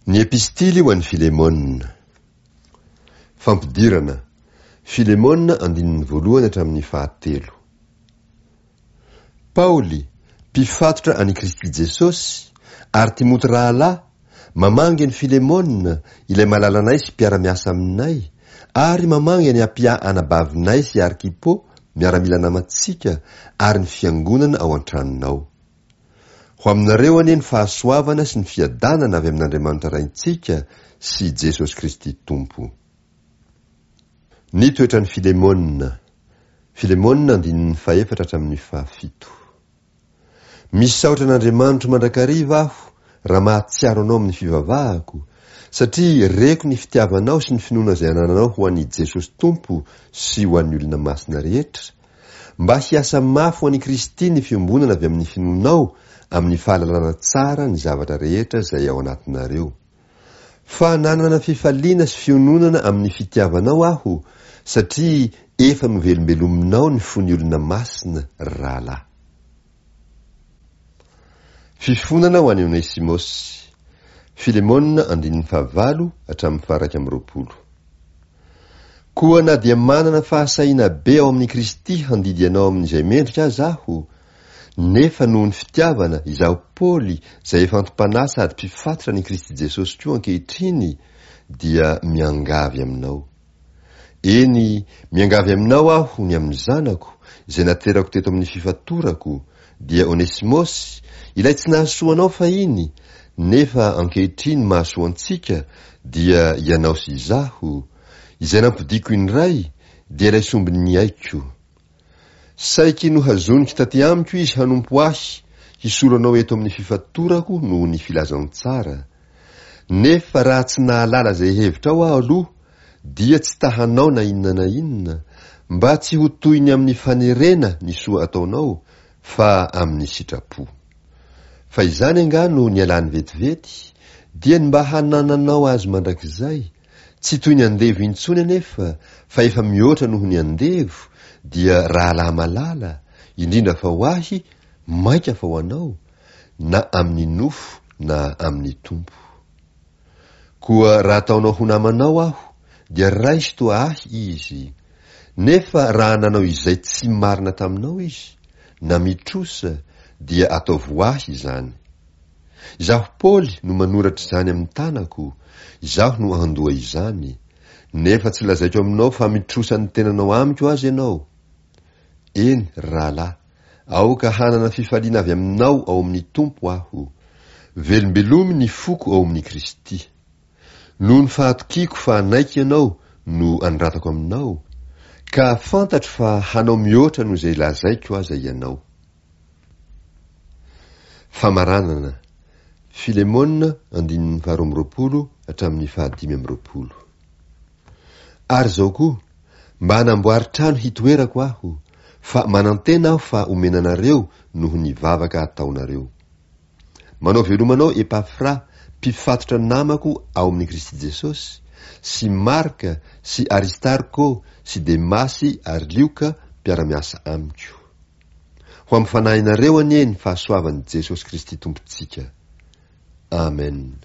Ny Epistily ho an'i Filemona. Fampidirana, Filemona andininy voalohany hatramin'ny fahatelo. Paoly, mpifatotra an'i Kristy Jesosy, ary Timoty rahalahy, mamangy an'i Filemona, ilay malalanay sy mpiara-miasa aminay, ary mamangy an'i Apia anabavinay sy Arkipo, miaramila namantsika, ary ny fiangonana ao an-tranonao. Ho aminareo anie ny fahasoavana sy ny fiadanana avy amin'Andriamanitra Raintsika sy Jesosy Kristy Tompo. Ny toetran'i Filemona. Filemona andininy fahefatra hatramin'ny fahafito. Misaotra an'Andriamanitro mandrakariva aho raha mahatsiaro anao amin'ny fivavahako, satria reko ny fitiavanao sy ny finoana izay anananao ho an'i Jesosy Tompo sy ho an'ny olona masina rehetra, Mba hiasa mafy ho an'i Kristy ny fiombonana avy amin'ny finoanao amin'ny fahalalana tsara ny zavatra rehetra izay ao anatinareo. Fa nanana fifaliana sy fiononana amin'ny fitiavanao aho, satria efa novelombelominao ny fon'ny olona masina, ry rahalahy. Fifonana ho an'i Onesimosy. Filemona andininy fahavalo hatramin'ny faha-21. Koa na dia manana fahasahiana be ao amin'i Kristy handidy anao amin'izay mendrika aza aho, nefa noho ny fitiavana, izaho Paoly, izay efa antom-panahy sady mpifatotra an'i Kristy Jesosy koa ankehitriny, dia miangavy aminao. Eny, miangavy aminao aho ny amin'ny zanako, izay naterako teto amin'ny fifatorako, dia Onesimosy, ilay tsy nahasoa anao fahiny, nefa ankehitriny mahasoa antsika, dia ianao sy izaho, izay nampodiako indray, dia ilay sombin'ny aiko. Saiky nohazoniko taty amiko izy hanompo ahy, hisolo anao eto amin'ny fifatorako noho ny filazantsara. Nefa raha tsy nahalala izay hevitrao aho aloha, dia tsy ta-hanao na inona na inona, mba tsy ho toy ny amin'ny fanerena ny soa ataonao, fa amin'ny sitrapo. Fa izany angaha no nialany vetivety, dia ny mba hanananao azy mandrakizay, tsy toy ny andevo intsony anefa, fa efa mihoatra noho ny andevo, dia rahalahy malala, indrindra fa ho ahy, mainka fa ho anao, na amin'ny nofo na amin'ny Tompo. Koa raha ataonao ho namanao aho, dia raiso toa ahy izy. Nefa raha nanao izay tsy marina taminao izy, na mitrosa, dia ataovy ho ahy izany. Izaho Paoly no manoratra izany amin'ny tanako, izaho no handoa izany. Nefa tsy lazaiko aminao fa mitrosa ny tenanao amiko aza ianao. Eny, ry rahalahy, aoka hanana fifaliana avy aminao ao amin'ny Tompo aho. Velombelomy ny foko ao amin'i Kristy. Noho ny fahatokiako fa hanaiky ianao no anoratako aminao, ka fantatro fa hanao mihoatra noho izay lazaiko aza ianao. Famaranana, Filemona andininy faharoa amby roapolo hatramin'ny fahadimy amby roapolo. Ary izao koa, mba hanamboary trano hitoerako aho, fa manantena aho fa omena anareo noho ny vavaka ataonareo. Manao veloma anao Epafra, mpifatotra namako ao amin'i Kristy Jesosy, sy Marka sy Aristarko sy Demasy ary Lioka mpiara-miasa amiko. Ho amin'ny fanahinareo anie ny fahasoavan'i Jesosy Kristy Tompontsika. Amen.